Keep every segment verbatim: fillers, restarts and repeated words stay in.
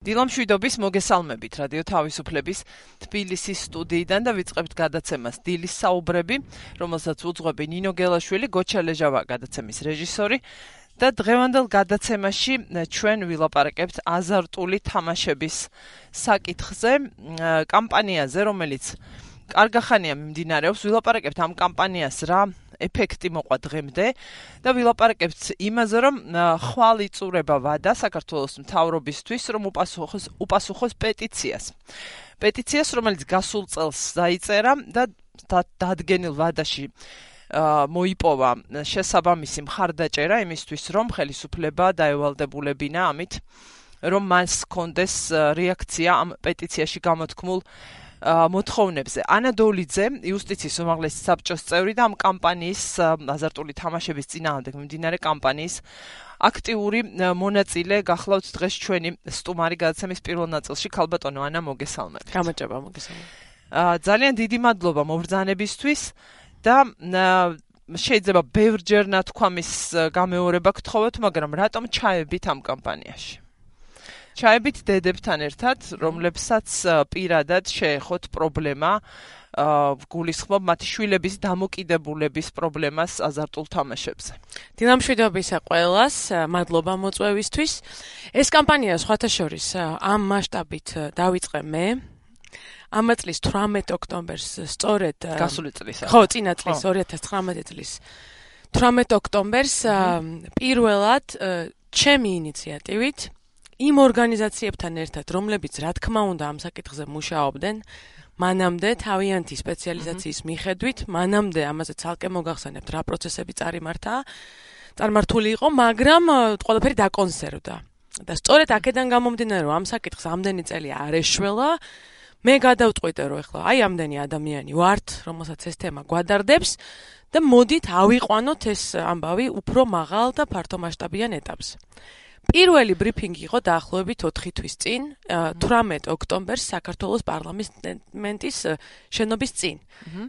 დილამშვიდობის მოგესალმებით რადიო თავისუფლების თბილისის სტუდიიდან და ვიწყებთ გადაცემას დილის საუბრები, რომელსაც უძღვები ნინო გელაშვილი, გოჩა ლეჟავა გადაცემის რეჟისორი და დღევანდელ გადაცემაში ჩვენ ვილაპარაკებთ აზარტული თამაშების საკითხზე, კამპანიაზე, რომელიც კარგახანია მიმდინარეობს, ვილაპარაკებთ ამ კამპანიას რა ეფექტი მოყვა დღემდე და ვილაპარაკებთ იმაზე, რომ ხვალ იწურება ვადა საქართველოს მთავრობისთვის, რომ უპასუხოს უპასუხოს პეტიციას. პეტიციას, რომელიც გასულ წელს დაიწერა და დადგენილ ვადაში მოიპოვა შესაბამისი მხარდაჭერა იმისთვის, რომ ხელისუფლება დაევალდებულებინა ამით, რომ მას ჰქონდეს რეაქცია ამ პეტიციაში გამოთქმულ მოთხოვნებზე. ანა დოლიძე, იუსტიციის უმაღლესი საბჭოს წევრი და ამ კამპანიის აზარტული თამაშების წინააღმდეგ მიმდინარე კამპანიის აქტიური მონაწილე გახლავთ დღეს ჩვენი სტუმარი გადაცემის პირველ ნაწილში. ქალბატონო ანა, მოგესალმებით. გამარჯობა, მოგესალმებით. ძალიან დიდი მადლობა მობრძანებისთვის და შეიძლება ბევრჯერ ნათქვამის გამეორება გთხოვოთ, მაგრამ რატომ ჩაებით ამ კამპანიაში? ჩაებით დედებთან ერთად, რომლებსაც პირადად შეეხოთ პრობლემა, გულისხმობ მათი შვილების დამოკიდებულების პრობლემას აზარტულ თამაშებზე. დილამშვიდობისა ყველას, მადლობა მოწვევისთვის. ეს კამპანია სხვათა შორის ამ მასშტაბით დავიწყე მე. ამ წლის თვრამეტ ოქტომბერს სწორედ გასული წლის. ხო, წინა წლის ორი ათას ცხრამეტი წლის თვრამეტ ოქტომბერს პირველად ჩემი ინიციატივით იმ ორგანიზაციებთან ერთად, რომლებიც რა თქმა უნდა ამ საკითხზე მუშაობდნენ, მანამდე თავიანთი სპეციალიზაციის მიხედვით, მანამდე ამაზე ცალკე მოგახსენებთ რა პროცესები წარიმართა, წარმართული იყო, მაგრამ ყველაფერი დაკონსერვდა. და სწორედ აქედან გამომდინარე, რომ ამ საკითხს ამდენი წელი არ ეშველა, მე გადავწყვიტე, რომ ეხლა აი ამდენი ადამიანი ვართ, რომელსაც ეს თემა გვადარდებს და მოდით ავიყვანოთ ეს ამბავი უფრო მაღალ და ფართო მასშტაბიან ეტაპზე. პირველი ბრიფინგი იყო დაახლოებით ოთხი თვის წინ, თვრამეტ ოქტომბერს საქართველოს პარლამენტის შენობის წინ.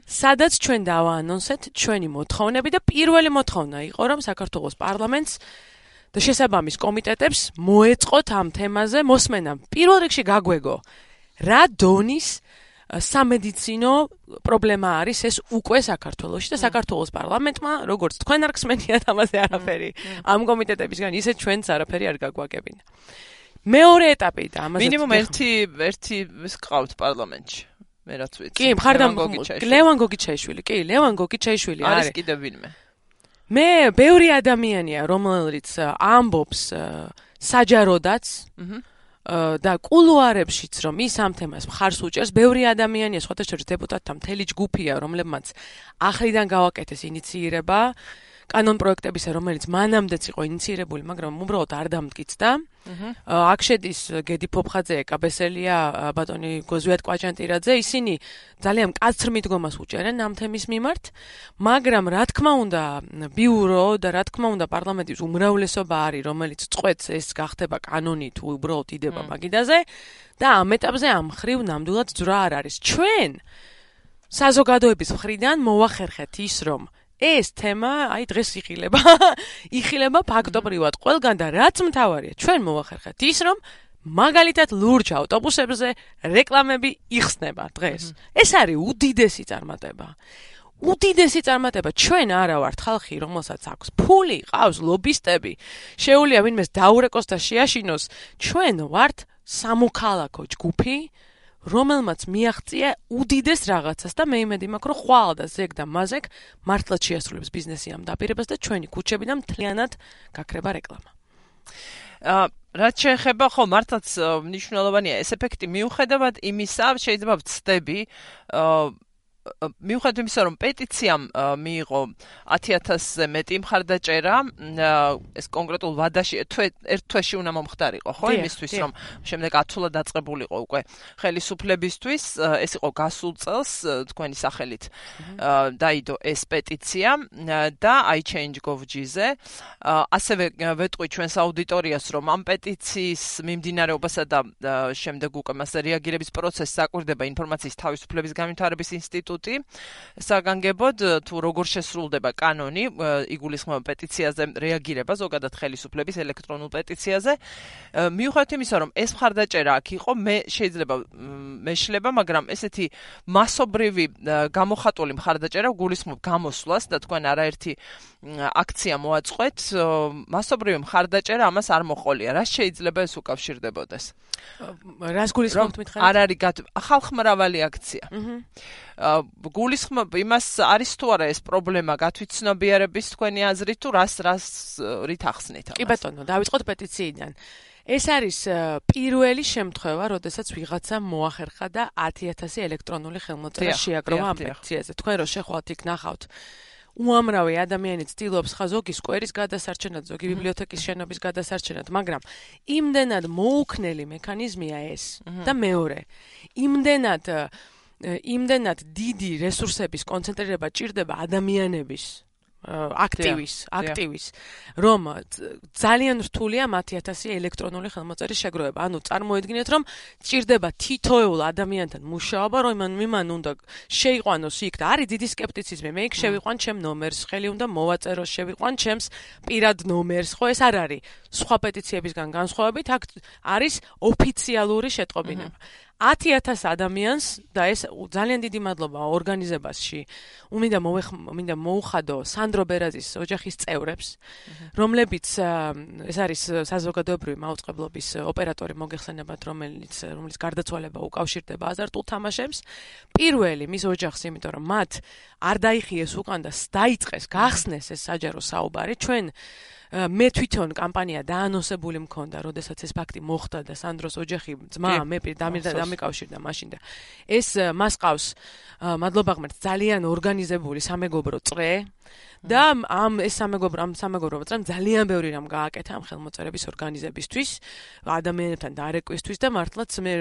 სადაც ჩვენ დავაანონსეთ ჩვენი მოთხოვნები და პირველი მოთხოვნა იყო, რომ საქართველოს პარლამენტს და შესაბამის კომიტეტებს მოეწყოთ ამ თემაზე მოსმენა. პირველ რიგში გაგვეგო, რა დონის სამედიცინო პრობლემა არის ეს უკვე საქართველოში და საქართველოს პარლამენტმა, როგორც თქვენ არ გსმენიათ ამაზე არაფერი, ამ კომიტეტებისგან ისე ჩვენც არაფერი არ გაგვაგებინა. მეორე ეტაპი და ამაზე მინიმუმ ერთი ერთი ის ყავთ პარლამენტში. მე რაც ვიცი. კი, მხარდამ ლევან გოგიჩაიშვილი, კი, ლევან გოგიჩაიშვილი არის. არის კიდევ ვინმე. მე ბევრი ადამიანია, რომელიც ამბობს საჯაროდაც, და კულუარებშიც რომ ის ამ თემას მხარს უჭერს, ბევრი ადამიანია, სხვათა შორის დეპუტატთა მთელი ჯგუფია, რომლებმაც ახლიდან გავაკეთეს ინიცირება კანონპროექტებისა, რომელიც მანამდეც იყო ინიცირებული, მაგრამ უბრალოდ არ დამტკიცდა. აქ შედის გედი ფოფხაძე, კაბესელია, ბატონი გოზვიათ კვაჭანტირაძე, ისინი ძალიან მკაცრ მიდგომას უჭერენ ამ თემის მიმართ, მაგრამ რა თქმა უნდა, ბიურო და რა თქმა უნდა პარლამენტის უმრავლესობა არის, რომელიც წყვეტს ეს გახდება კანონი თუ უბრალოდ იდება მაგიდაზე და ამ ეტაპზე ამ ხრივ ნამდვილად ძვრა არ არის. ჩვენ საზოგადოების მხრიდან მოვახერხეთ ის, რომ ეს თემა, აი დღეს იხილება, იხილება ფაქტობრივად ყველგან და რაც მთავარია, ჩვენ მოვახერხეთ ის, რომ მაგალითად ლურჯ ავტობუსებზე რეკლამები იხსნება დღეს. ეს არის უდიდესი წარმატება. უდიდესი წარმატება. ჩვენ არა ვართ ხალხი, რომელსაც აქვს ფული, ყავს ლობისტები, შეუძლია ვინმეს დაურეკოს და შეაშინოს. ჩვენ ვართ სამოქალაქო ჯგუფი, რომელმაც მიაღწია უდიდეს რაღაცას და მე იმედი მაქვს, რომ ხვალ და ზეგ და მაზეგ მართლაც შეასრულებს ბიზნესი ამ დაპირებას და ჩვენი ქუჩები და მთლიანად გაქრება რეკლამა. რაც შეეხება, ხო, მართლაც მნიშვნელოვანია ეს ეფექტი მიუხედავად იმისა, შეიძლება ვცდები, მიუხედავად იმისა, რომ პეტიციამ მიიღო ათი ათასზე მეტი მხარდაჭერა, ეს კონკრეტულ ვადაში ერთ თვეში უნდა მომხდარიყო, ხო, იმისთვის, რომ შემდეგ ათულად დაწყებულიყო უკვე ხელისუფლებისთვის, ეს იყო გასულ წელს თქვენი სახელით დაიდო ეს პეტიცია და i change dot gov dot gz-ზე. ასევე ვეტყვი ჩვენს აუდიტორიას, რომ ამ პეტიციის მიმდინარეობასა და შემდეგ უკვე მასზე რეაგირების პროცესს საკვირდება ინფორმაციის თავისუფლების განვითარების ინსტიტუტი ინსტიტუტი საგანგებოდ თუ როგორ შესრულდება კანონი იგულისხმება პეტიციაზე რეაგირება ზოგადად ხელისუფლების ელექტრონულ პეტიციაზე მიუხედავად იმისა რომ ეს მხარდაჭერა აქ იყო მე შეიძლება მეშლება მაგრამ ესეთი მასობრივი გამოხატული მხარდაჭერა გულისხმობ გამოსვლას და თქვენ არაერთი აქცია მოაწყვეთ მასობრივი მხარდაჭერა ამას არ მოყოლია რა შეიძლება ეს უკავშირდებოდეს რას გულისხმობთ მითხარით არ არის ხალხმრავალი აქცია გულისხმობ იმას არის თუ არა ეს პრობლემა გათვითცნობიერების თქვენი აზრით თუ რას რას რით ახსნით ამას კი ბატონო დავიწყოთ პეტიციიდან ეს არის პირველი შემთხვევა, როდესაც ვიღაცამ მოახერხა და ათი ათასი ელექტრონული ხელმოწერა შეაგროვა ამ პეტიციაზე. თქვენ რო შეხვალთ იქ ნახავთ უამრავი ადამიანი ცდილობს ხა ზოგი სკვერის გადასარჩენად, ზოგი ბიბლიოთეკის შენობის გადასარჩენად, მაგრამ იმდენად მოუქნელი მექანიზმია ეს და მეორე, იმდენად იმდენად დიდი რესურსების კონცენტრირება ჭირდება ადამიანების აქტივის, აქტივის, რომ ძალიან რთულია ათი ათასი ელექტრონული ხელმოწერის შეგროვება. ანუ წარმოედგინეთ, რომ ჭირდება თითოეულ ადამიანთან მუშაობა, რომ იმან უნდა შეიყვანოს იქ და არის დიდი სკეპტიციზმი. მე იქ შევიყვან ჩემ ნომერს, ხელი უნდა მოვაწერო, შევიყვან ჩემს პირად ნომერს, ხო ეს არ არის. სხვა პეტიციებისგან განსხვავებით, აქ არის ოფიციალური შეტყობინება. ათი ათასი ადამიანს და ეს ძალიან დიდი მადლობა ორგანიზებაში უმინდა მომინდა მოუხადო სანდრო ბერაზის ოჯახის წევრებს რომლებიც ეს არის საზოგადოებრივი მაუწყებლობის ოპერატორი მოგეხსენებათ რომელიც რომელიც გარდაცვალება უკავშირდება აზარტულ თამაშებს პირველი მის ოჯახს იმიტომ რომ მათ არ დაიხიეს უკან და დაიწყეს გახსნეს ეს საჯარო საუბარი ჩვენ მე თვითონ კამპანია დაანონსებული მქონდა, როდესაც ეს ფაქტი მოხდა და სანდროს ოჯახი ძმა მე დამიკავშირდა მაშინ და ეს მას ყავს მადლობა ღმერთს ძალიან ორგანიზებული სამეგობრო წრე და ამ ეს სამეგობრო ამ სამეგობრო წრემ ძალიან ბევრი რამ გააკეთა ამ ხელმოწერების ორგანიზებისთვის, ადამიანებთან დარეკვისთვის და მართლაც მე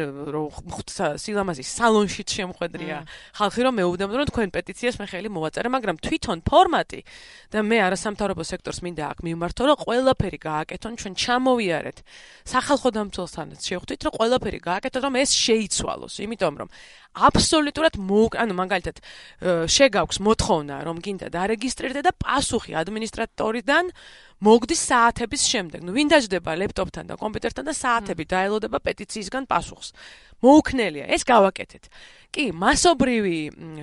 სილამაზის სალონშიც შემხვედრია ხალხი რომ მეუბნებოდ რომ თქვენ პეტიციას მე ხელი მოვაწერე, მაგრამ თვითონ ფორმატი და მე არასამთავრობო სექტორს მინდა აქ მიმართო რომ ყველაფერი გააკეთონ ჩვენ ჩამოვიარეთ სახალხო დამცველთანაც შევხვდით რომ ყველაფერი გააკეთოთ რომ ეს შეიცვალოს იმიტომ რომ აბსოლუტურად ანუ მაგალითად შეგაქვს მოთხოვნა რომ გინდა დარეგისტრირდე და პასუხი ადმინისტრატორიდან მოგდის საათების შემდეგ. ნუ ვინ დაждდება ლეპტოპთან და კომპიუტერთან და საათები დაელოდება პეტიციისგან პასუხს. მოუქნელია, ეს გავაკეთეთ. კი, მასობრივი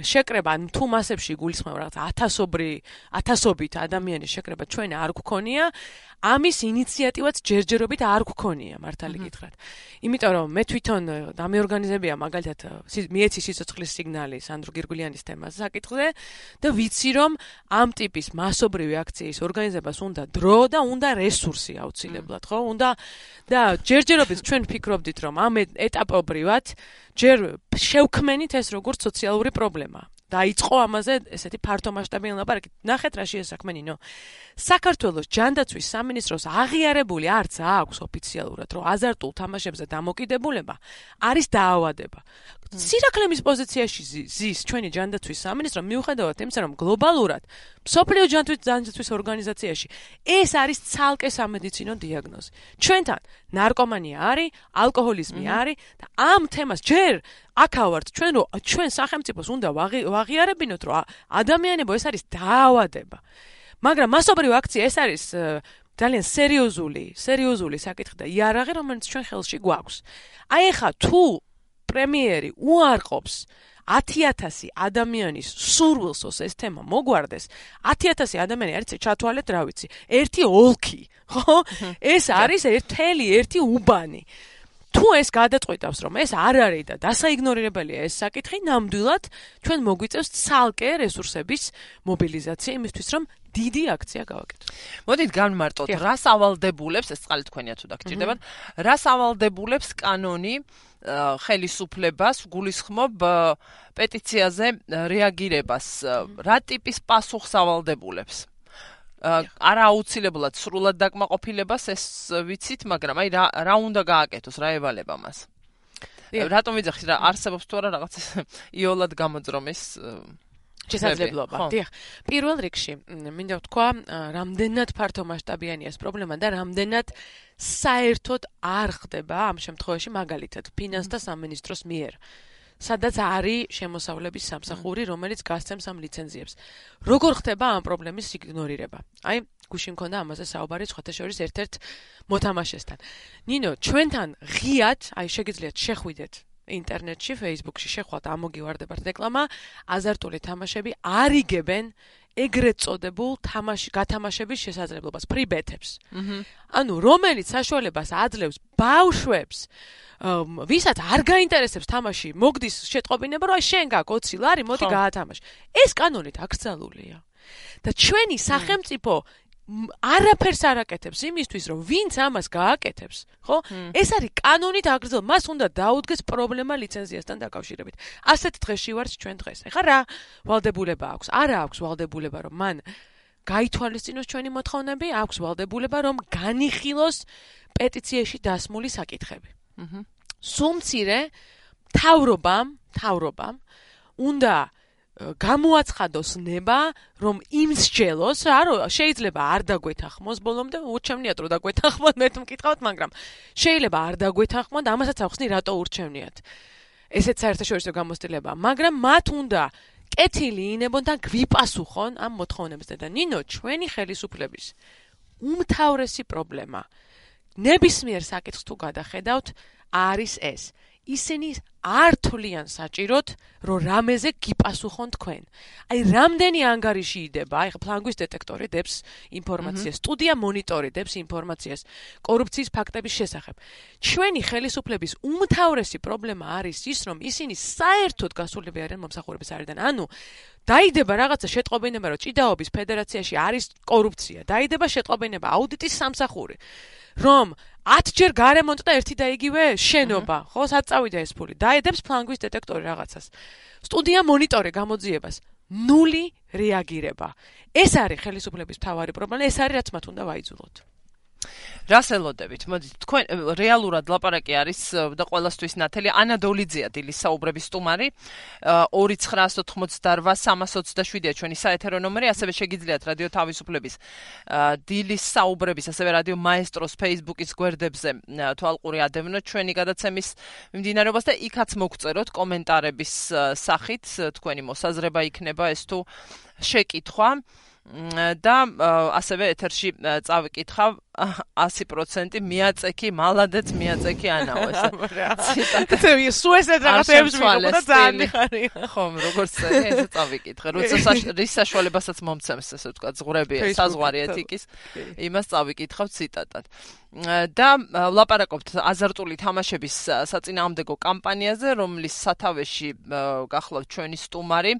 შეკრება, ან თუ მასებში გულისხმობ რაღაც ათასობრი, ათასობით ადამიანის შეკრება ჩვენ არ გვქონია, ამის ინიციატივაც ჯერჯერობით არ გვქონია, მართალი გითხრათ. იმიტომ რომ მე თვითონ დამეორგანიზებია მაგალითად მიეცი სიცოცხლის სიგნალი სანდრო გირგულიანის თემაზე საკითხზე და ვიცი რომ ამ ტიპის მასობრივი აქციის ორგანიზებას უნდა დრო და უნდა რესურსი აუცილებლად, ხო? უნდა და ჯერჯერობით ჩვენ ვფიქრობდით რომ ამ ეტაპობრივად ჯერ შევქმენით ეს როგორც სოციალური პრობლემა. დაიწყო ამაზე ესეთი ფართო მასშტაბიანი ლაპარაკი. ნახეთ რა შეესაქმენინო. საქართველოს ჯანდაცვის სამინისტროს აღიარებული არც აქვს ოფიციალურად, რომ აზარტულ თამაშებზე დამოკიდებულება არის დაავადება. სირაქლემის პოზიციაში ზის ჩვენი ჯანდაცვის სამინისტრო მიუხედავად იმისა, რომ გლობალურად მსოფლიო ჯანდაცვის ორგანიზაციაში ეს არის ცალკე სამედიცინო დიაგნოზი. ჩვენთან ნარკომანია არის, ალკოჰოლიზმი არის და ამ თემას ჯერ აქავართ ჩვენ რომ ჩვენ სახელმწიფოს უნდა ვაღიარებინოთ, რომ ადამიანებო ეს არის დაავადება. მაგრამ მასობრივი აქცია ეს არის ძალიან სერიოზული, სერიოზული საკითხი და იარაღი, რომელიც ჩვენ ხელში გვაქვს. აი ეხა თუ პრემიერი უარყოფს ათი ათასი ადამიანის სურვილს ეს თემა მოგვარდეს, ათი ათასი ადამიანი არის ჩათვალეთ რა ვიცი, ერთი ოლქი, ხო? ეს არის ერთელი ერთი უბანი. თუ ეს გადაწყვეტავს რომ ეს არ არის და დასაიგნორირებელია ეს საკითხი, ნამდვილად ჩვენ მოგვიწევს ცალკე რესურსების მობილიზაცია იმისთვის რომ დიდი აქცია გავაკეთოთ. მოდით განმარტოთ, რას ავალდებულებს, ეს წყალი თქვენია თუ დაგჭირდებათ, რას ავალდებულებს კანონი ხელისუფლებას გულისხმობ პეტიციაზე რეაგირებას, რა ტიპის პასუხს ავალდებულებს? არა აუცილებლად სრულად დაკმაყოფილებას ეს ვიცით, მაგრამ აი რა რა უნდა გააკეთოს, რა ევალება მას. რატომ ვიძახით რა არსებობს თუ არა რაღაც იოლად გამოძრომის შესაძლებლობა. დიახ. პირველ რიგში მინდა ვთქვა, რამდენად ფართო მასშტაბიანია ეს პრობლემა და რამდენად საერთოდ არ ხდება ამ შემთხვევაში მაგალითად ფინანსთა სამინისტროს მიერ. სადაც არის შემოსავლების სამსახური, რომელიც გასცემს ამ ლიცენზიებს. როგორ ხდება ამ პრობლემის იგნორირება? აი, გუშინ მქონდა ამაზე საუბარი სხვათა შორის ერთ-ერთ მოთამაშესთან. ნინო, ჩვენთან ღიად, აი შეგიძლიათ შეხვიდეთ ინტერნეტში, Facebook-ში შეხვალთ, ამოგივარდებათ რეკლამა, აზარტული თამაშები არიგებენ ეგრეთ წოდებულ თამაში გათამაშების შესაძლებლობას, free bet-ებს. ანუ რომელიც საშუალებას აძლევს ბავშვებს, ვისაც არ გაინტერესებს თამაში, მოგდის შეტყობინება, რომ შენ გაქვს ოცი ლარი, მოდი გაათამაშ. ეს კანონით აკრძალულია. და ჩვენი სახელმწიფო არაფერს არ აკეთებს იმისთვის, რომ ვინც ამას გააკეთებს, ხო? ეს არის კანონით აკრძალული, მას უნდა დაუდგეს პრობლემა ლიცენზიასთან დაკავშირებით. ასეთ დღეში ვართ ჩვენ დღეს. ეხლა რა ვალდებულება აქვს? არა აქვს ვალდებულება, რომ მან გაითვალისწინოს ჩვენი მოთხოვნები, აქვს ვალდებულება, რომ განიხილოს პეტიციაში დასმული საკითხები. სუმცირე თავრობამ, თავრობამ უნდა გამოაცხადოს ნება, რომ იმსჯელოს, რა შეიძლება არ დაგვეთანხმოს ბოლომდე, ურჩევნიათ რომ დაგვეთანხმოთ, მე მკითხავთ, მაგრამ შეიძლება არ დაგვეთანხმოთ, ამასაც ახსნი რატო ურჩევნიათ. ესეც საერთაშორისო გამოცდილება, მაგრამ მათ უნდა კეთილი ინებონ და გვიპასუხონ ამ მოთხოვნებზე და ნინო, ჩვენი ხელისუფლების უმთავრესი პრობლემა ნებისმიერ საკითხს თუ გადახედავთ, არის ეს. ისინი არ თვლიან საჭიროდ, რომ რამეზე გიპასუხონ თქვენ. აი, რამდენი ანგარიში იდება, აი, ფლანგვის დეტექტორი დებს ინფორმაციას, სტუდია მონიტორი დებს ინფორმაციას კორუფციის ფაქტების შესახებ. ჩვენი ხელისუფლების უმთავრესი პრობლემა არის ის, რომ ისინი საერთოდ გასულები არიან მომსახურების არიდან. ანუ დაიდება რაღაცა შეტყობინება, რომ ჭიდაობის ფედერაციაში არის კორუფცია, დაიდება შეტყობინება აუდიტის სამსახური, რომ ათჯერ გარემონტ და ერთი და იგივე შენობა, ხო, სად წავიდა ეს ფული? დაედებს ფლანგვის დეტექტორი რაღაცას. სტუდია მონიტორი გამოძიებას. ნული რეაგირება. ეს არის ხელისუფლების მთავარი პრობლემა, ეს არის რაც მათ უნდა ვაიძულოთ. რას ელოდებით? მოდით, თქვენ რეალურად ლაპარაკი არის და ყველასთვის ნათელი ანა დოლიძეა დილის საუბრების სტუმარი. ორი ცხრაასი ოცდაოთხმოცდაორვა სამას ოცდაშვიდია ჩვენი საეთერო ნომერი, ასევე შეგიძლიათ რადიო თავისუფლების დილის საუბრების, ასევე რადიო მაესტროს Facebook-ის გვერდებზე თვალყური ადევნოთ ჩვენი გადაცემის მიმდინარეობას და იქაც მოგწეროთ კომენტარების სახით, თქვენი მოსაზრება იქნება ეს თუ შეკითხვა. და ასევე ეთერში წავიკითხავ ასი პროცენტი მიაწექი, მალადეც მიაწექი ანაო ეს. ციტატა. სულ ესეთ რაღაცებს ვიყო და ძალიან მიხარია. ხომ, როგორც წერია, ესე წავიკითხე. როცა რის საშუალებასაც მომცემს, ესე ვთქვა, ზღვრები, საზღვარი ეთიკის, იმას წავიკითხავ ციტატად. და ლაპარაკობთ აზარტული თამაშების საწინააღმდეგო კამპანიაზე, რომლის სათავეში გახლავთ ჩვენი სტუმარი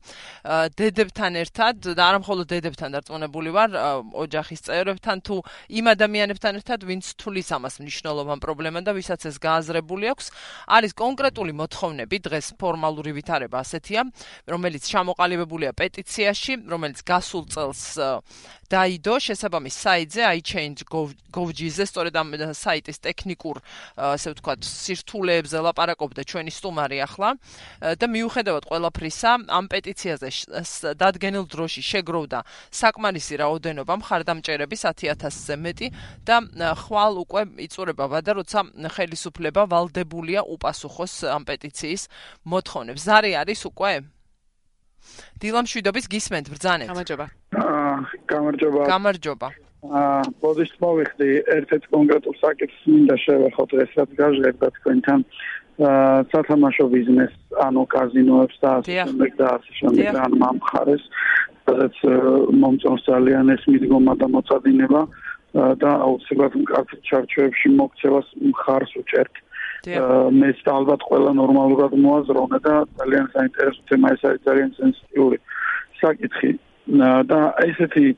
დედებთან ერთად და არა მხოლოდ დედებთან დარწმუნებული ვარ, ოჯახის წევრებთან თუ იმ ადამიანებთან ერთად, ვინც თulis ამას მნიშვნელოვან პრობლემად და ვისაც ეს გააზრებული აქვს, არის კონკრეტული მოთხოვნები, დღეს ფორმალური ვითარება ასეთია, რომელიც ჩამოყალიბებულია პეტიციაში, რომელიც გასულ წელს დაიდო შესაბამის საიტზე i change dot gov dot gz-ზე, სწორედ ამ საიტის ტექნიკურ, ასე ვთქვათ, სირთულეებზე ლაპარაკობდა ჩვენი სტუმარი ახლა და მიუხედავად ყველაფრისა, ამ პეტიციაზე დადგენილ დროში შეგროვდა საკმარისი რაოდენობა მხარდამჭერების ათი ათასზე მეტი და ხვალ უკვე იწურება ვადა, როცა ხელისუფლება ვალდებულია უპასუხოს ამ პეტიციის მოთხოვნებს. ზარი არის უკვე? დილამშვიდობის გისმენთ, ბრძანეთ. გამარჯობა. გამარჯობა. გამარჯობა. აა, ბოდიშ მოვიხდი ერთ-ერთ კონკრეტულ საკითხს მინდა შევეხოთ დღეს, რაც გაჟღერდა თქვენთან. აა, სათამაშო ბიზნეს, ანუ კაზინოებს და ასე შემდეგ და ასე შემდეგ და ამ მხარეს, სადაც მომწონს ძალიან ეს მიდგომა და მოწადინება და აუცილებლად მკაცრ ჩარჩოებში მოქცევას მხარს უჭერთ. მეც ალბათ ყველა ნორმალურად მოაზროვნა და ძალიან საინტერესო თემა ეს არის, ძალიან სენსიტიური საკითხი და ესეთი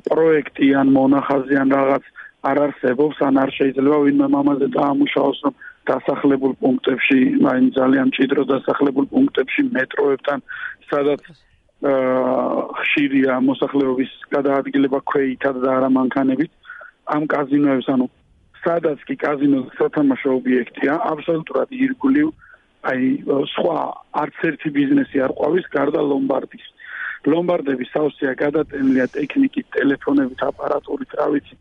პროექტი ან მონახაზი ან რაღაც არ არსებობს, ან არ შეიძლება ვინმე მამაზე დაამუშავოს, რომ დასახლებულ პუნქტებში, აი ძალიან მჭიდრო დასახლებულ პუნქტებში მეტროებთან, სადაც ხშირია მოსახლეობის გადაადგილება ქვეითად და არა მანქანებით, ამ კაზინოებს, ანუ სადაც კი კაზინო სათამაშო ობიექტია, აბსოლუტურად ირგვლივ, აი სხვა არც ერთი ბიზნესი არ ყვავის გარდა ლომბარდის. ლომბარდების სავსეა გადატენილია ტექნიკით, ტელეფონებით, აპარატურით, რა ვიცი,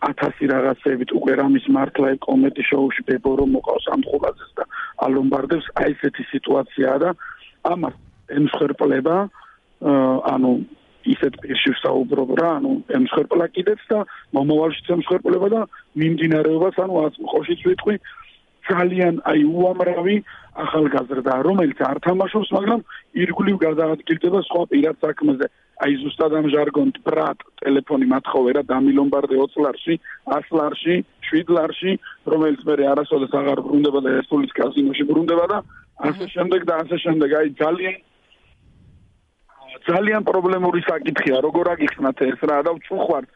ათასი რაღაცებით, უკვე რამის მართლა კომედი შოუში ბებო რომ მოყავს ამ ხულაძეს და ალომბარდებს აი ესეთი სიტუაციაა და ამას ემსხვერპლება ანუ ისეთ პირში ვსაუბრობ რა ანუ ემსხვერპლა კიდეც და მომავალშიც ემსხვერპლება და მიმდინარეობას ანუ ყოველშიც ვიტყვი ძალიან აი უამრავი ახალგაზრდა რომელიც არ თამაშობს მაგრამ ირგვლივ გადაადგილდება სხვა პირად საქმეზე აი ზუსტად ამ ჟარგონით ბრატ ტელეფონი მათხოვე რა დამილომბარდე ოცი ლარში ას ლარში შვიდ ლარში რომელიც მე არასოდეს აღარ ბრუნდება და ესპულის კაზინოში ბრუნდება და ასე შემდეგ და ასე შემდეგ აი ძალიან ძალიან პრობლემური საკითხია როგორ აგიხსნათ ეს რა და ვწუხვართ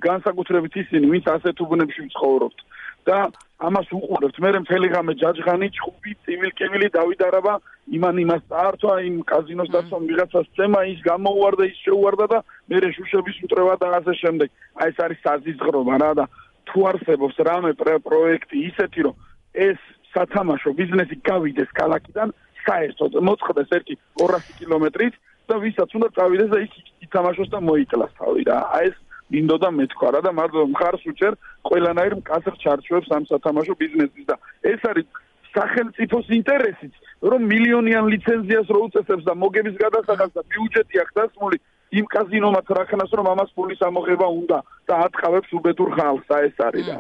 განსაკუთრებით ისინი ვინც ასეთ უბნებში ცხოვრობთ და ამას უყურებთ მე მთელი ღამე ჯაჯღანი ჭუბი წივილკივილი დავიდარაბა იმან იმას წაართვა იმ კაზინოს დაცვამ ვიღაცას წემა ის გამოუვარდა ის შეუვარდა და მე შუშების მტრევა და ასე შემდეგ აი ეს არის საზიზღრობა რა და თუ არსებობს რამე პროექტი ისეთი რომ ეს სათამაშო ბიზნესი გავიდეს ქალაქიდან საერთოდ მოწყდეს ერთი ორასი კილომეტრით და ვისაც უნდა წავიდეს და ის ითამაშოს და მოიტლას თავი რა აი ეს მინდოდა მეთქვა რა და მარტო მხარს უჭერ ყველანაირ მკაცრ ჩარჩოებს ამ სათამაშო ბიზნესის და ეს არის სახელმწიფოს ინტერესიც რომ მილიონიან ლიცენზიას რო უწესებს და მოგების გადასახადს და ბიუჯეტი აქვს დასმული იმ კაზინომაც რახანას რომ ამას ფულის ამოღება უნდა და ატყავებს უბედურ ხალხს და ეს არის რა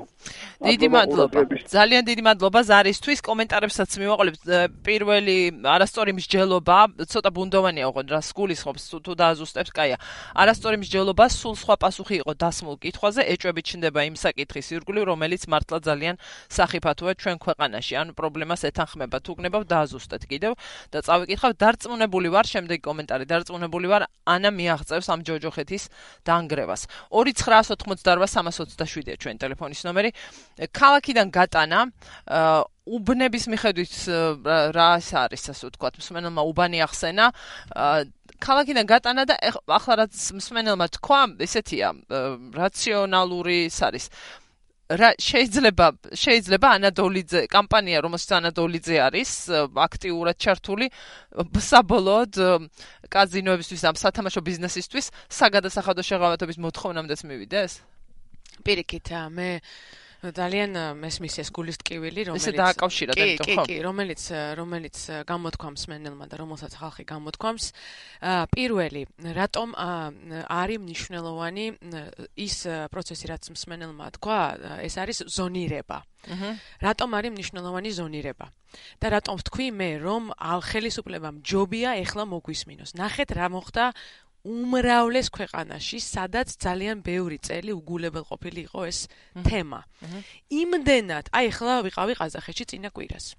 დიდი მადლობა ძალიან დიდი მადლობა ზარისთვის კომენტარებსაც მივაყოლებ პირველი არასწორი მსჯელობა ცოტა ბუნდოვანია ოღონდ რა სგულისხმობს თუ დააზუსტებს კაია არასწორი მსჯელობა სულ სხვა პასუხი იყო დასმულ კითხვაზე ეჭვებით ჩნდება იმ საკითხის ირგვლივ რომელიც მართლა ძალიან სახიფათოა ჩვენ ქვეყანაში ანუ პრობლემას ეთანხმება თუ გნებავ დააზუსტეთ კიდევ და წავიკითხავ დარწმუნებული ვარ შემდეგი კომენტარი დარწმუნებული ვარ ანა მიაღწევს ამ ჯოჯოხეთის დაანგრევას ორი ცხრაასი ოთხმოცდაორვა სამას ოცდაშვიდია ჩვენ ტელეფონის ნომერი ქალაქიდან გატანა უბნების მიხედვით რა არის ასე ვთქვათ მსმენელმა უბანი ახსენა ქალაქიდან გატანა და ახლა რაც მსმენელმა თქვა ესეთია რაციონალური ის არის რა შეიძლება შეიძლება ანადოლიძე კამპანია რომელსაც ანადოლიძე არის აქტიურად ჩართული საბოლოოდ კაზინოებისთვის ამ სათამაშო ბიზნესისთვის საგადასახადო შეღავათობის მოთხოვნამდეც მივიდეს პირიქით მე ძალიან მესმის ეს გულის ტკივილი რომელიც ესე დააკავშირა და კი კი რომელიც რომელიც გამოთქვამს მენელმა და რომელსაც ხალხი გამოთქვამს პირველი რატომ არის მნიშვნელოვანი ის პროცესი რაც მსმენელმა თქვა ეს არის ზონირება რატომ არის მნიშვნელოვანი ზონირება და რატომ ვთქვი მე რომ ხელისუფლებამ ჯობია ეხლა მოგვისმინოს ნახეთ რა მოხდა უმრავლეს ქვეყანაში, სადაც ძალიან ბევრი წელი უგულებელყოფილი იყო ეს თემა. იმდენად, აი ახლა ვიყავი ყაზახეთში წინა კვირას.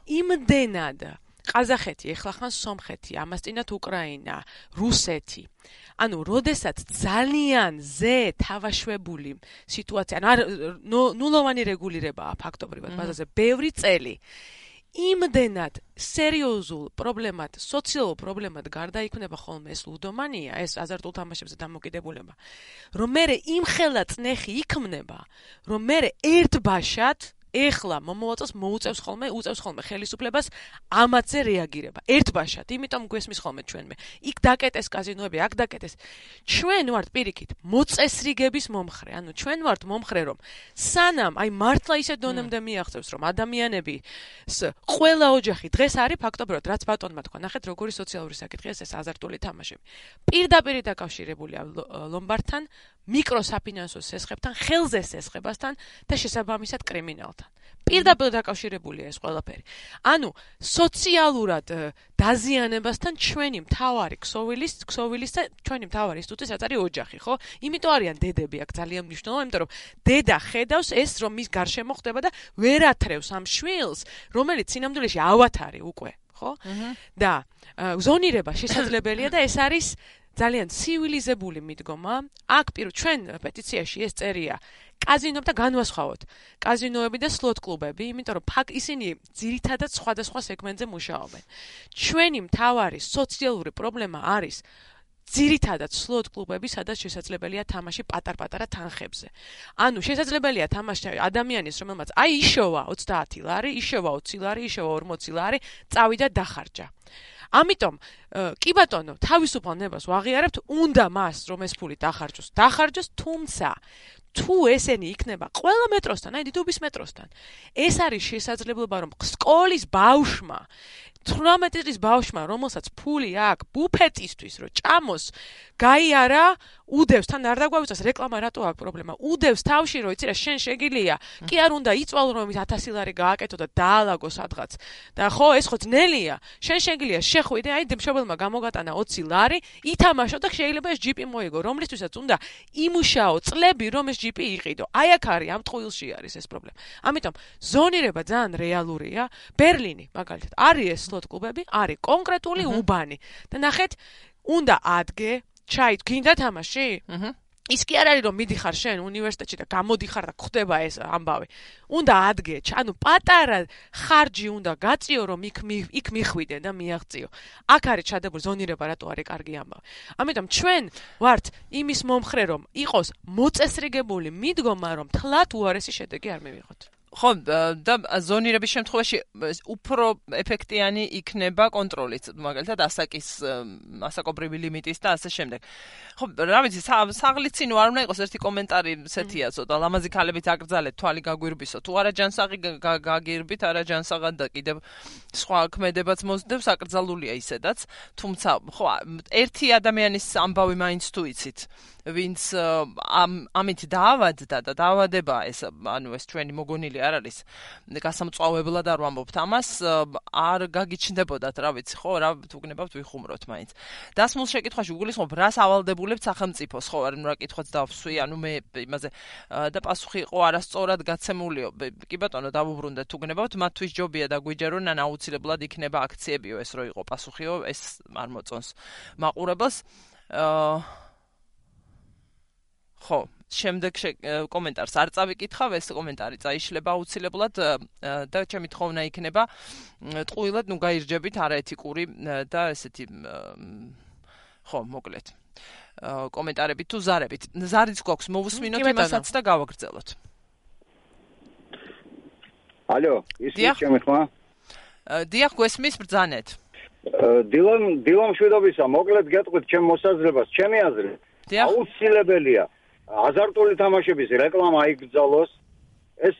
იმდენად ყაზახეთი, ახლა ხან სომხეთი, ამას წინათ უკრაინა, რუსეთი. ანუ, როდესაც ძალიან ზე თავაშვებული სიტუაცია, ანუ ნულოვანი რეგულირებაა ფაქტობრივად ბაზაზე, ბევრი წელი. იმდენად სერიოზულ პრობლემად, სოციალურ პრობლემად გარდაიქმნება ხოლმე ეს ლუდომანია, ეს აზარტულ თამაშებზე დამოკიდებულება, რომ მე იმხელა წნეხი იქმნება, რომ მე ერთბაშად ეხლა მომავალწელს მოუწევს ხოლმე, უწევს ხოლმე ხელისუფლებას ამაზე რეაგირება. ერთბაშად, იმიტომ გვესმის ხოლმე ჩვენმე. იქ დაკეტეს კაზინოები, აქ დაკეტეს. ჩვენ ვართ პირიქით მოწესრიგების მომხრე. ანუ ჩვენ ვართ მომხრე, რომ სანამ აი მართლა ისე დონემდე მიაღწევს, რომ ადამიანები ყველა ოჯახი დღეს არის ფაქტობრივად, რაც ბატონმა თქვა, ნახეთ როგორი სოციალური საკითხია ეს აზარტული თამაშები. პირდაპირ დაკავშირებულია ლომბარდთან, მიკროსაფინანსო სესხებთან, ხელზე სესხებასთან და შესაბამისად კრიმინალთან. პირდაპირ დაკავშირებულია ეს ყველაფერი. ანუ სოციალურად დაზიანებასთან ჩვენი მთავარი ქსოვილის, ქსოვილის და ჩვენი მთავარი ინსტიტუტი რაც არის ოჯახი, ხო? იმიტომ არიან დედები აქ ძალიან მნიშვნელოვანი, იმიტომ რომ დედა ხედავს ეს რომ მის გარშემო ხდება და ვერ ათრევს ამ შვილს, რომელიც სინამდვილეში ავათარი უკვე, ხო? და ზონირება შესაძლებელია და ეს არის ძალიან ცივილიზებული მიდგომა. აქ პირ ჩვენ პეტიციაში ეს წერია კაზინოები და განვასხვაოთ. კაზინოები და სლოთ კლუბები, იმიტომ რომ ფაქ ისინი ძირითადად სხვადასხვა სეგმენტზე მუშაობენ. ჩვენი მთავარი სოციალური პრობლემა არის ძირითადად სლოთ კლუბები, სადაც შესაძლებელია თამაში პატარ-პატარა თანხებზე. ანუ შესაძლებელია თამაში ადამიანის, რომელმაც აი იშოვა ოცდაათი ლარი, იშოვა ოცი ლარი, იშოვა ორმოცი ლარი, წავიდა დახარჯა. ამიტომ კი ბატონო, თავისუფალ ნებას ვაღიარებთ, უნდა მას რომ ეს ფული დახარჯოს, დახარჯოს, თუმცა თუ ესენი იქნება ყველა მეტროსთან, აი დიდუბის მეტროსთან, ეს არის შესაძლებლობა, რომ სკოლის ბავშვმა თვრამეტი წლის ბავშვმა, რომელსაც ფული აქვს ბუფეტისთვის, რომ ჭამოს, გაიარა, უდევს, თან არ დაგვავიწოს რეკლამა რატო აქვს პრობლემა. უდევს თავში, რომ იცი რა, შენ შეგილია, კი არ უნდა იწვალო, რომ ის ათასი ლარი გააკეთო და დაალაგო სადღაც. და ხო, ეს ხო ძნელია. შენ შეგილია, შეხვიდე, აი მშობელმა გამოგატანა ოცი ლარი, ითამაშო და შეიძლება ეს ჯიპი მოიგო, რომლისთვისაც უნდა იმუშაო წლები, რომ ეს ჯიპი იყიდო. აი აქ არის, ამ ტყუილში არის ეს პრობლემა. ამიტომ ზონირება ძალიან რეალურია. ბერლინი, მაგალითად, არის ეს სლოტ კლუბები, არის კონკრეტული უბანი. და ნახეთ, უნდა ადგე ჩაი, გინდა თამაში? აჰა. ის კი არ არის რომ მიდიხარ შენ უნივერსიტეტში და გამოდიხარ და ხდება ეს ამბავი. უნდა ადგე, ანუ პატარა ხარჯი უნდა გაწიო რომ იქ იქ მიხვიდე და მიაღწიო. აქ არის ჩადებული ზონირება, რატო არის კარგი ამბავი. ამიტომ ჩვენ ვართ იმის მომხრე რომ იყოს მოწესრიგებული მიდგომა რომ თლათ უარესი შედეგი არ მივიღოთ. ხო, და ზონირების შემთხვევაში უფრო ეფექტიანი იქნება კონტროლიც, მაგალითად ასაკის ასაკობრივი ლიმიტის და ასე შემდეგ. ხო, რა ვიცი, საღლიცინო არ უნდა იყოს ერთი კომენტარი სეთია, ცოტა ლამაზი ქალებით აკრძალეთ, თვალი გაგვირბისო, თუ არა ჯანსაღი გაგირბით, არა ჯანსაღად და კიდევ სხვა ქმედებაც მოსდევს, აკრძალულია ისედაც, თუმცა ხო, ერთი ადამიანის ამბავი მაინც თუ იცით, ვინც ამ ამით დაავადდა და დაავადება ეს ანუ ეს ჩვენი მოგონილი არ არის გასამწვავებლად არ ვამბობთ ამას არ გაგიჩნდებოდათ რა ვიცი ხო რა თუ გნებავთ ვიხუმროთ მაინც დასმულ შეკითხვაში უგულისხმობ რას ავალდებულებთ სახელმწიფოს ხო არ რა კითხვაც დავსვი ანუ მე იმაზე და პასუხი იყო არასწორად გაცემულიო კი ბატონო დავუბრუნდეთ თუ გნებავთ მათთვის ჯობია და გვიჯერონ ან აუცილებლად იქნება აქციებიო ეს რო იყო პასუხიო ეს არ მოწონს მაყურებელს ხო, შემდეგ კომენტარს არ წავიკითხავ, ეს კომენტარი წაიშლება აუცილებლად და ჩემი თხოვნა იქნება ტყუილად ნუ გაირჯებით არაეთიკური და ესეთი ხო, მოკლედ. კომენტარებით თუ ზარებით. ზარიც გვაქვს, მოვუსმინოთ იმასაც და გავაგრძელოთ. ალო, ისმის ჩემი ხმა? დიახ, გვესმის ბრძანეთ. დილონ, დილონ მშვიდობისა, მოკლედ გეტყვით ჩემ მოსაზრებას, ჩემი აზრით. აუცილებელია აზარტული თამაშების რეკლამა აიგრძალოს. ეს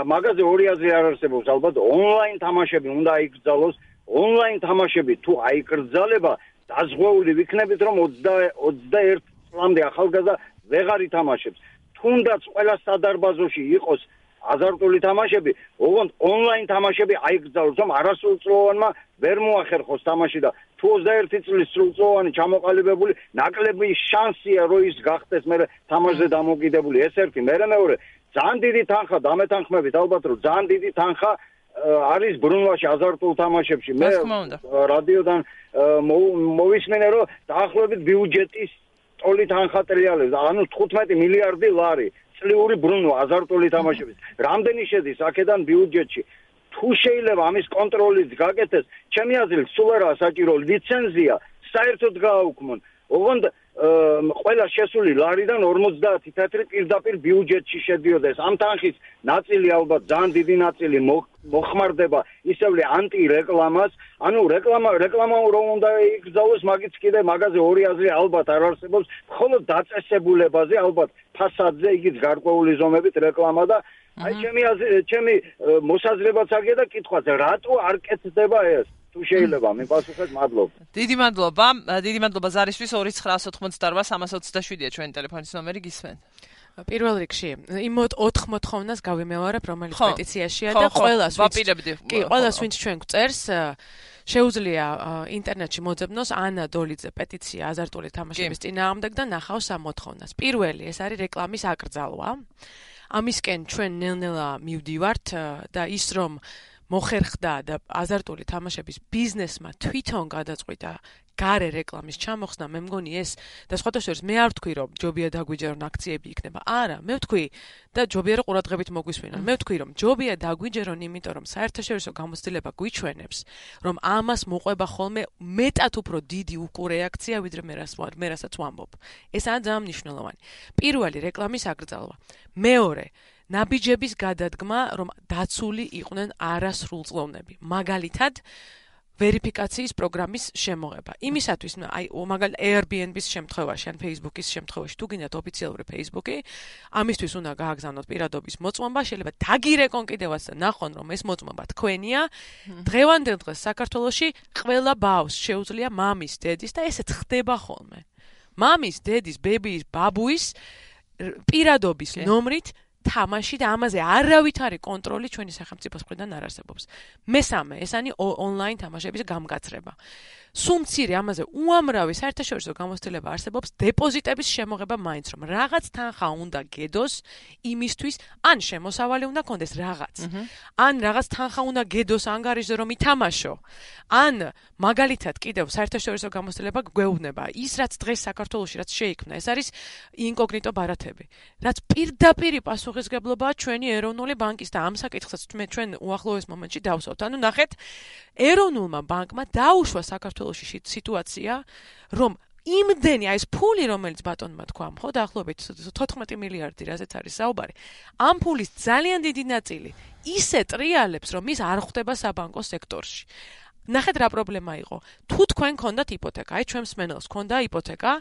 მაგაზე ორი აზრი არ არსებობს, ალბათ ონლაინ თამაშები უნდა აიგრძალოს. ონლაინ თამაშები თუ აიგრძალება, დაზღვეული ვიქნებით, რომ ოცდაერთ წლამდე ახალგაზრდა ვეღარ ითამაშებს. თუნდაც ყველა სადარბაზოში იყოს აზარტული თამაშები, ოღონდ ონლაინ თამაშები აიგრძალოს, რომ არასრულწლოვანმა ვერ მოახერხოს თამაში და თუ ოცდაერთი წლის სრულწლოვანი ჩამოყალიბებული ნაკლები შანსია რომ ის გახდეს მე თამაშზე დამოკიდებული ეს ერთი მერე მეორე ძალიან დიდი თანხა დამეთანხმებით ალბათ რომ ძალიან დიდი თანხა არის ბრუნვაში აზარტულ თამაშებში მე რადიოდან მოვისმენე რომ დაახლოებით ბიუჯეტის ტოლით ანხატრიალებს ანუ თხუთმეტი მილიარდი ლარი წლიური ბრუნვა აზარტული თამაშების რამდენი შედის აქედან ბიუჯეტში თუ შეიძლება ამის კონტროლით გაკეთდეს, ჩემი აზრით, სულ არა საჭირო ლიცენზია, საერთოდ გააუქმონ. ოღონდ ყველა შესული ლარიდან ორმოცდაათი თეთრი პირდაპირ ბიუჯეტში შედიოდეს. ამ თანხის ნაწილი ალბათ ძალიან დიდი ნაწილი მოხმარდება ისევ ანტირეკლამას. ანუ რეკლამა რეკლამა რომ უნდა იგრძალოს, მაგიც კიდე მაგაზე ორი აზრი ალბათ არ არსებობს. მხოლოდ დაწესებულებაზე ალბათ ფასადზე იგიც გარკვეული ზომებით რეკლამა და აი ჩემი ჩემი მოსაზრებაც აგია და კითხვაც რატო არ კეთდება ეს თუ შეიძლება მიპასუხეთ მადლობა დიდი მადლობა დიდი მადლობა ზარისთვის ორი ცხრაასი ოცდაოთხმოცდარბა სამასი ოცდაშვიდია ჩვენი ტელეფონის ნომერი გისმენთ პირველ რიგში იმ ოთხ მოთხოვნას გავიმეორებ რომელიც პეტიციაშია და ყველას ვაპირებდი კი ყველას ვინც ჩვენ გვწერს შეუძლია ინტერნეტში მოძებნოს ანა დოლიძე პეტიცია აზარტული თამაშების წინააღმდეგ და ნახავს ამ მოთხოვნას პირველი ეს არის რეკლამის აკრძალვა ამისკენ ჩვენ ნელ-ნელა მივდივართ და ის რომ მოხერხდა და აზარტული თამაშების ბიზნესმა თვითონ გადაწყვიტა გარე რეკლამის ჩამოხსნა მე მგონი ეს და სხვათა შორის მე არ ვთქვი რომ ჯობია დაგვიჯერონ აქციები იქნება არა მე ვთქვი და ჯობია რომ ყურადღებით მოგვისმინონ მე ვთქვი რომ ჯობია დაგვიჯერონ იმიტომ რომ საერთაშორისო გამოცდილება გვიჩვენებს რომ ამას მოყვება ხოლმე მეტად უფრო დიდი უკურეაქცია ვიდრე მე რას მე რასაც ვამბობ ესაა ძალიან მნიშვნელოვანი პირველი რეკლამის აკრძალვა მეორე ნაბიჯების გადადგმა რომ დაცული იყვნენ არასრულწლოვნები მაგალითად ვერიფიკაციის პროგრამის შემოღება. იმისათვის, აი, მაგალითად Airbnb-ის შემთხვევაში, ან Facebook-ის შემთხვევაში, თუ გინდათ ოფიციალური Facebook-ი, ამისთვის უნდა გააგზავნოთ პირადობის მოწმობა, შეიძლება დაგირეკონ კიდევაც და ნახონ, რომ ეს მოწმობა თქვენია. დღევანდელ დღეს საქართველოში ყველა ბავშვს შეუძლია მამის, დედის და ესეც ხდება ხოლმე. მამის, დედის, ბებიის, ბაბუის პირადობის ნომრით თამაში და ამაზე არავით არის კონტროლი ჩვენი სახელმწიფოს მხრიდან არ არსებობს. მესამე, ეს არის ონლაინ თამაშების გამგაცრება. სულ მცირე ამაზე უამრავი საერთაშორისო გამოცდილება არსებობს დეპოზიტების შემოღება მაინც რომ რაღაც თანხა უნდა გედოს იმისთვის ან შემოსავალი უნდა კონდეს რაღაც. ან რაღაც თანხა უნდა გედოს ანგარიშზე რომ ითამაშო. ან მაგალითად კიდევ საერთაშორისო გამოცდილება გვეუბნება ის რაც დღეს საქართველოში რაც შეიქმნა ეს არის ინკოგნიტო ბარათები. რაც პირდაპირ პასუხისგებლობაა ჩვენი ეროვნული ბანკის და ამ საკითხსაც ჩვენ უახლოეს მომენტში დავსვათ. ანუ ნახეთ ეროვნულმა ბანკმა დაუშვა საქართველოში სიტუაცია, რომ იმდენი აი ეს ფული, რომელიც ბატონმა თქვა, ხო, დაახლოებით თოთხმეტი მილიარდი, რაზეც არის საუბარი, ამ ფულის ძალიან დიდი ნაწილი ისე ტრიალებს, რომ ის არ ხვდება საბანკო სექტორში. ნახეთ რა პრობლემა იყო. თუ თქვენ გქონდათ იპოთეკა, აი ჩვენ მსმენელს გქონდა იპოთეკა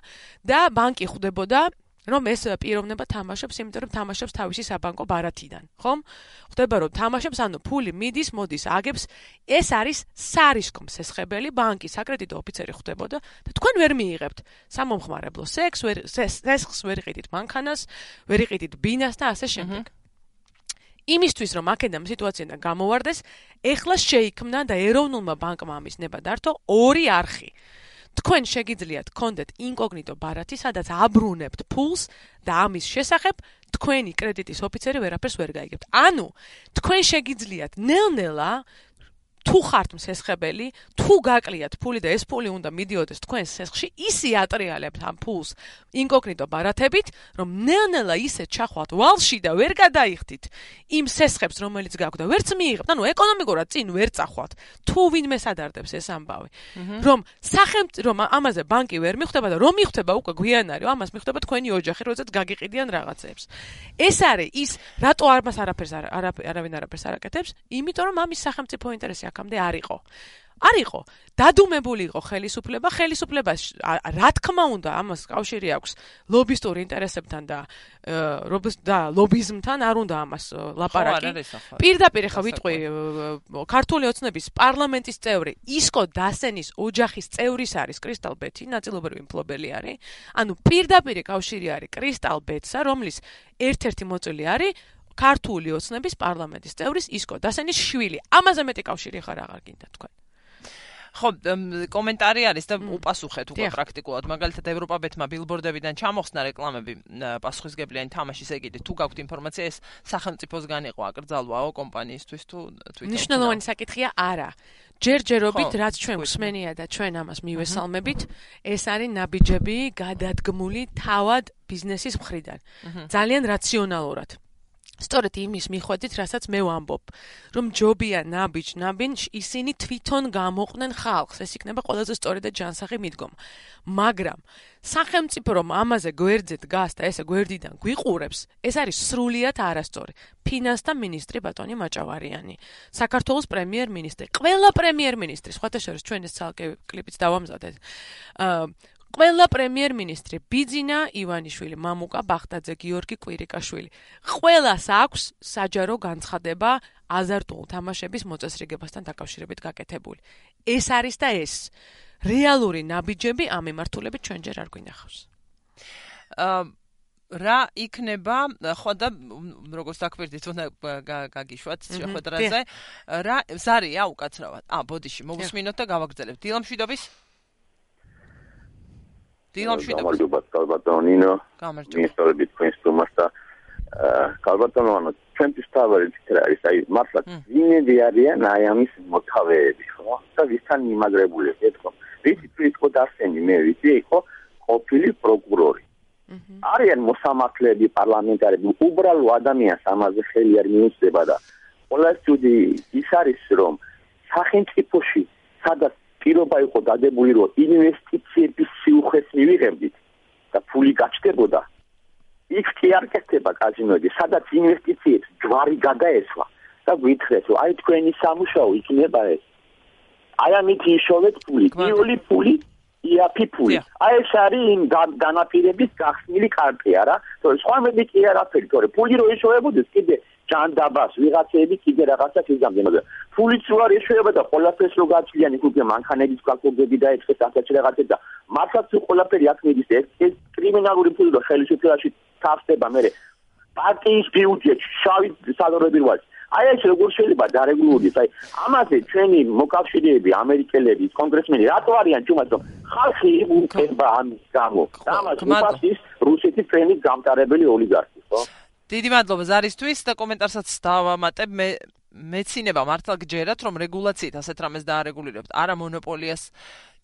და ბანკი ხვდებოდა რომ ეს პიროვნება თამაშობს, იმიტომ რომ თამაშობს თავისი საბანკო ბარათიდან, ხომ? ხდება რომ თამაშობს, ანუ ფული მიდის, მოდის, აგებს, ეს არის სარისკო მსესხებელი, ბანკის საკრედიტო ოფიცერი ხდებოდა და თქვენ ვერ მიიღებთ სამომხმარებლო სექს, ვერ სესხს ვერ იყიდით მანქანას, ვერ იყიდით ბინას და ასე შემდეგ. იმისთვის რომ აქედან სიტუაციიდან გამოვარდეს, ეხლა შეიქმნა და ეროვნულმა ბანკმა ამის ნება დართო ორი არხი. თქვენ შეგიძლიათ გქონდეთ ინკოგნიტო ბარათი, სადაც აბრუნებთ ფულს და ამის შესახებ თქვენი კრედიტის ოფიცერი ვერაფერს ვერ გაიგებთ. ანუ თქვენ შეგიძლიათ ნელ-ნელა თუ ხართ მსესხებელი, თუ გაკლიათ ფული და ეს ფული უნდა მიდიოდეს თქვენს სესხში, ისე ატრიალებთ ამ ფულს ინკოგნიტო ბარათებით, რომ ნელ-ნელა ისე ჩახვალთ ვალში და ვერ გადაიხდით იმ სესხებს, რომელიც გაქვთ და ვერც მიიღებთ. ანუ ეკონომიკურად წინ ვერ წახვალთ. თუ ვინმე სადარდებს ეს ამბავი. რომ სახელმწიფო რომ ამაზე ბანკი ვერ მიხვდება და რომ მიხვდება უკვე გვიან არის, ამას მიხვდება თქვენი ოჯახი, როდესაც გაგიყიდიან რაღაცებს. ეს არის ის, რატო ამას არაფერს არავინ არაფერს არ აკეთებს, იმიტომ რომ ამის სახელმწიფო ინტერესი აქამდე არ იყო. არ იყო. დადუმებული იყო ხელისუფლება, ხელისუფლებას რა თქმა უნდა ამას კავშირი აქვს ლობისტური ინტერესებთან და და ლობიზმთან, არ უნდა ამას ლაპარაკი. პირდაპირ ხა ვიტყვი ქართული ოცნების პარლამენტის წევრი ისკო დასენის ოჯახის წევრის არის კრისტალ ბეთი, ნაწილობრივი მფლობელი არის. ანუ პირდაპირ კავშირი არის კრისტალ ბეთსა, რომლის ერთ-ერთი მოწვეული არის ქართული ოცნების პარლამენტის წევრის ისკო დასენის შვილი. ამაზე მეტი კავშირი ხარ აღარ გინდა თქვენ. ხო, კომენტარი არის და უპასუხეთ უკვე პრაქტიკულად. მაგალითად ევროპაბეთმა ბილბორდებიდან ჩამოხსნა რეკლამები პასუხისგებლიანი თამაშის ეგიდით. თუ გაქვთ ინფორმაცია, ეს სახელმწიფოსგან იყო აკრძალვაო კომპანიისთვის თუ თვითონ. ნიშნულოვანი საკითხია არა. ჯერჯერობით რაც ჩვენ გვსმენია და ჩვენ ამას მივესალმებით, ეს არის ნაბიჯები გადადგმული თავად ბიზნესის მხრიდან. ძალიან რაციონალურად. სწორედ იმის მიხვედით, რასაც მე ვამბობ, რომ ჯობია ნაბიჯ ნაბინ ისინი თვითონ გამოყვნენ ხალხს, ეს იქნება ყველაზე სწორი და ჯანსაღი მიდგომა. მაგრამ სახელმწიფო რომ ამაზე გვერდზე დგას და ესე გვერდიდან გვიყურებს, ეს არის სრულიად არასწორი. ფინანსთა მინისტრი ბატონი მაჭავარიანი, საქართველოს პრემიერ-მინისტრი, ყველა პრემიერ-მინისტრი, სხვათა შორის ჩვენ ეს ცალკე კლიპიც დავამზადეთ. აა ყველა პრემიერ-მინისტრი ბიძინა ივანიშვილი, მამუკა ბახტაძე, გიორგი კვირიკაშვილი. ყველას აქვს საჯარო განცხადება აზარტულ თამაშების მოწესრიგებასთან დაკავშირებით გაკეთებული. ეს არის და ეს რეალური ნაბიჯები ამ მიმართულებით ჩვენ ჯერ არ გვინახავს. აა რა იქნება, ხო და როგორც დაკვირდით, უნდა გაგიშვათ შეხვედრაზე. რა ზარია უკაცრავად. ა, ბოდიში, მოვუსმინოთ და გავაგრძელებთ. დილამშვიდობის გამარჯობა კალბატონინო მინისტრები თქვენს თომას და კალბატონო ჩვენთვის თავარი ფიქრი არის აი მართლა ვინები არიან აი ამის მოთავეები ხო და ვისთან მიმაგრებული ეთქო ვიცი თუ იყო დასენი მე ვიცი იყო ყოფილი პროკურორი არიან მოსამართლეები პარლამენტარები უბრალო ადამიანს ამაზე ხელი არ მიუწდება და ყველა სტუდი ის არის რომ სახელმწიფოში სადაც პირობა იყო დადებული რომ ინვესტიციების სიუხვეს მივიღებდით და ფული გაჩნდებოდა იქ კი არ კეთდება კაზინოები სადაც ინვესტიციებს ჯვარი გადაესვა და გვითხრეს რომ აი თქვენი სამუშაო იქნება ეს აი ამით იშოვეთ ფული. პირველი ფული იაფი ფული. აი ეს არის იმ განაპირების გახსნილი კარტია რა. თორე სხვა მედი კი არაფერი, თორე ფული რო ეშოვებოდეს კიდე ჯანდაბას ვიღაცები კიდე რაღაცას იზამდნენ. ფულიც რო არ ეშოვება და ყველაფერს რო გაწვიან იქ უკვე მანქანების კალკულები და ეცეს ასეთი რაღაცები და მართლაც ყველაფერი აქ მიდის ეს კრიმინალური ფული და ხელისუფლებაში თავსდება მე პარტიის ბიუჯეტში შავი სალაროები როაც აი ეს როგორ შეიძლება დარეგულირდეს აი ამაზე ჩვენი მოკავშირეები ამერიკელები კონგრესმენი რატო არიან ჩვენს რომ ხალხი უხება ამის გამო ამას უპასის რუსეთის ფრენის გამტარებელი ოლიგარქი ხო დიდი მადლობა ზარისთვის და კომენტარსაც დავამატებ მე მეცინება მართლა გჯერათ რომ რეგულაციით ასეთ რამეს დაარეგულირებთ არა მონოპოლიას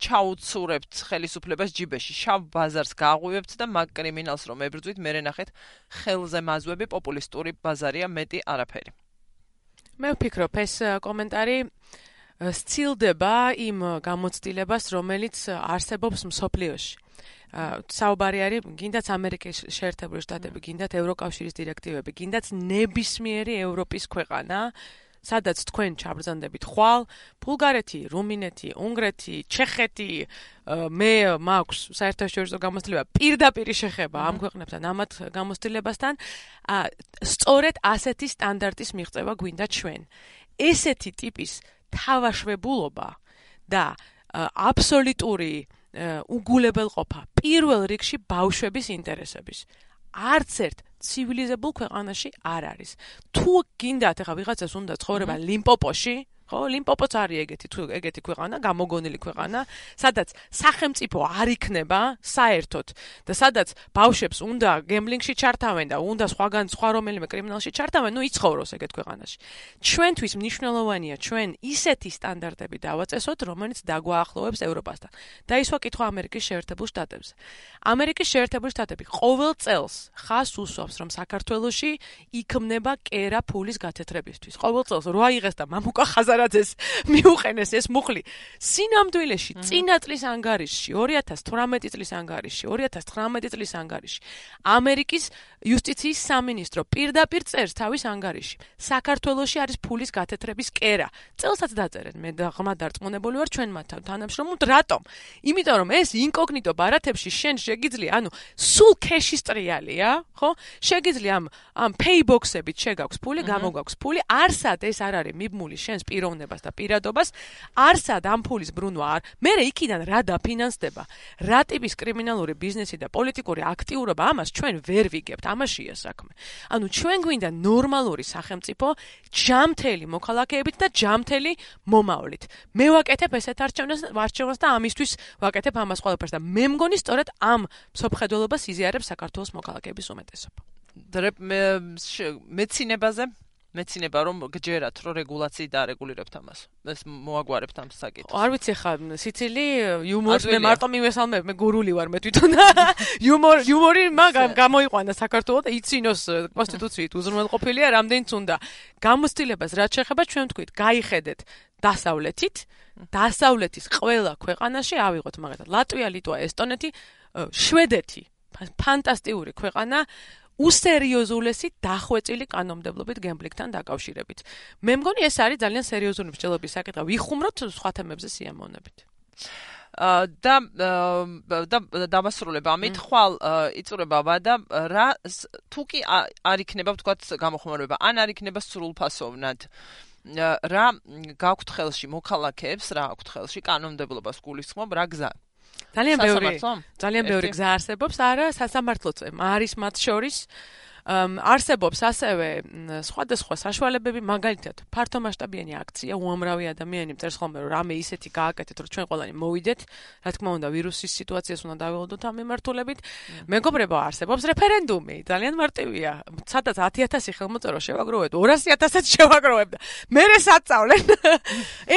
ჩაუცურებთ ხელისუფლებას ჯიბეში შავ ბაზარს გააღვივებთ და მაგ კრიმინალს რომ ებრძვით მე ნახეთ ხელზე მაზვები პოპულისტური ბაზარია მეტი არაფერი მე ვფიქრობ ეს კომენტარი სცილდება იმ გამოცდილებას რომელიც არსებობს მსოფლიოში საუბარი არის გინდაც ამერიკის შეერთებული შტატები, გინდათ ევროკავშირის დირექტივები, გინდაც ნებისმიერი ევროპის ქვეყანა, სადაც თქვენ ჩაბრძანდებით ხვალ, ბულგარეთი, რუმინეთი, უნგრეთი, ჩეხეთი, მე მაქვს საერთაშორისო გამოცდილება პირდაპირ შეხება ამ ქვეყნებთან ამათ გამოცდილებასთან, სწორედ ასეთი სტანდარტის მიღწევა გვინდა ჩვენ. ესეთი ტიპის თავაშვებულობა და აბსოლუტური უგულებელყოფა პირველ რიგში ბავშვების ინტერესების არც ერთ ცივილიზებულ ქვეყანაში არ არის თუ გინდათ ახლა ვიღაცას უნდა ცხოვრება ლიმპოპოში ხო ლიმპოპოც არის ეგეთი თუ ეგეთი ქვეყანა გამოგონილი ქვეყანა სადაც სახელმწიფო არ იქნება საერთოდ და სადაც ბავშვებს უნდა გემბლინგში ჩართავენ და უნდა სხვაგან სხვა რომელიმე კრიმინალში ჩართავენ ნუ იცხოვროს ეგეთ ქვეყანაში ჩვენთვის მნიშვნელოვანია ჩვენ ისეთი სტანდარტები დავაწესოთ რომელიც დაგვაახლოვებს ევროპასთან და ის ვაკითხვა ამერიკის შეერთებულ შტატებზე ამერიკის შეერთებული შტატები ყოველ წელს ხას უსვამს რომ საქართველოში იქმნება კერა ფულის გათეთრებისთვის ყოველ წელს რო აიღეს და მამუკა ხაზარაძეს მიუყენეს ეს მუხლი სინამდვილეში წინა წლის ანგარიშში ორი ათას თვრამეტი წლის ანგარიშში ორი ათას თვრამეტი წლის ანგარიშში ამერიკის იუსტიციის სამინისტრო პირდაპირ წერს თავის ანგარიშში საქართველოში არის ფულის გათეთრების კერა წელსაც დაწერენ მე და ღრმა დარწმუნებული ვარ ჩვენ მათთან თანამშრომლობთ რატომ იმიტომ რომ ეს ინკოგნიტო ბარათებში შენ შეგიძლია ანუ სულ ქეშის ტრიალია ხო შეგიძლია ამ ამ პეიბოქსებით შეგაქვს ფული გამოგაქვს ფული არსად ეს არ არის მიბმული შენს პიროვნებას და პირადობას არსად ამ ფულის ბრუნვა არ მე იქიდან რა დაფინანსდება რა ტიპის კრიმინალური ბიზნესი და პოლიტიკური აქტიურობა ამას ჩვენ ვერ ვიგებთ ამაშია საქმე ანუ ჩვენ გვინდა ნორმალური სახელმწიფო ჯამთელი მოქალაქეებით და ჯამთელი მომავლით მე ვაკეთებ ესეთ არჩევნებს არჩევნებს და ამისთვის ვაკეთებ ამას ყველაფერს და მე მგონი სწორედ ამ მსოფლმხედველობას იზიარებს საქართველოს მოქალაქეების უმეტესობა მეცინებაზე მეცინება რომ გჯერათ რომ რეგულაციით დაარეგულირებთ ამას ეს მოაგვარებთ ამ საკითხს არ ვიცი ხა სიცილი იუმორს მე მარტო მივესალმებ მე გურული ვარ მე თვითონ იუმორ იუმორი მაგ გამოიყვანა საქართველოს და იცინოს კონსტიტუციით უზრუნველყოფილია რამდენიც უნდა გამოცდილებას რაც შეეხება ჩვენ ვთქვით გაიხედეთ დასავლეთით დასავლეთის ყველა ქვეყანაში ავიღოთ მაგალითად ლატვია ლიტვა ესტონეთი შვედეთი ფანტასტიკური ქვეყანა უსერიოზულესი დახვეწილი კანონმდებლობით გემბლინგთან დაკავშირებით. მე მგონი ეს არის ძალიან სერიოზული მსჯელობის საკითხი. ვიხუმროთ სხვა თემებზე სიამოვნებით. და და დავასრულებ ამით ხვალ იწურება ვადა რა თუ კი არ იქნება ვთქვათ გამოხმარება ან არ იქნება სრულფასოვნად რა გაქვთ ხელში მოქალაქეებს რა აქვთ ხელში კანონმდებლობას გულისხმობ რა გზა ძალიან ბევრი ძალიან ბევრი გზა არსებობს არა სასამართლოც არის მათ შორის არსებობს ასევე სხვადასხვა საშუალებები მაგალითად ფართომასშტაბიანი აქცია უამრავი ადამიანი წერს ხოლმე რომ რამე ისეთი გააკეთეთ რომ ჩვენ ყველანი მოვიდეთ რა თქმა უნდა ვირუსის სიტუაციას უნდა დაველოდოთ ამ მიმართულებით მეგობრებო არსებობს რეფერენდუმი ძალიან მარტივია სადაც ათი ათასი ხელმოწერო შევაგროვეთ ორასი ათასაც შევაგროვებ და მერე საწავლენ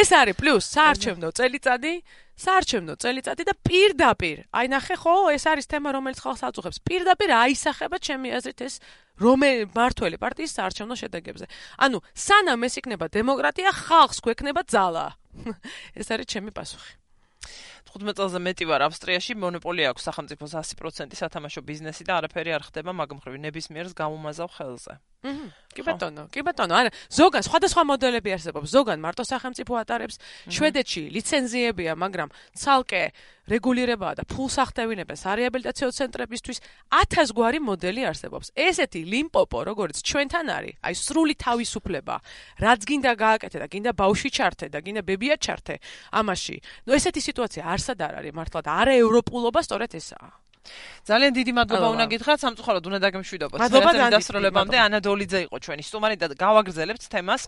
ეს არის პლუს საარჩევნო წელიწადი საარჩევნო წელიწადი და პირდაპირ აი ნახე ხო ეს არის თემა რომელიც ხალხს აწუხებს პირდაპირ აისახება ჩემი აზრით ეს რომელი მართველი პარტიის საარჩევნო შედეგებზე ანუ სანამ ეს იქნება დემოკრატია ხალხს გვექნება ძალა ეს არის ჩემი პასუხი თხუთმეტ წელზე მეტი ვარ ავსტრიაში მონოპოლია აქვს სახელმწიფოს ასი პროცენტი სათამაშო ბიზნესი და არაფერი არ ხდება მაგ მხრივ ნებისმიერს გამომაზავ ხელზე კი ბატონო, კი ბატონო, არა, ზოგან სხვადასხვა მოდელები არსებობს, ზოგან მარტო სახელმწიფო ატარებს, შვედეთში ლიცენზიებია, მაგრამ ცალკე რეგულირებაა და ფულს ახდევინებენ სარეაბილიტაციო ცენტრებისთვის, ათას გვარი მოდელი არსებობს. ესეთი ლიმპოპო, როგორც ჩვენთან არის, აი სრული თავისუფლება, რაც გინდა გააკეთე და გინდა ბავშვი ჩართე და გინდა ბებია ჩართე, ამაში. ნუ ესეთი სიტუაცია არსად არ არის მართლა და არა ევროპულობა სწორედ ესაა. ძალიან დიდი მადლობა უნდა გითხრათ, სამწუხაროდ უნდა დაგემშვიდობოთ. მადლობა დასრულებამდე. ანა დოლიძე იყო ჩვენი სტუმარი და გავაგრძელებთ თემას.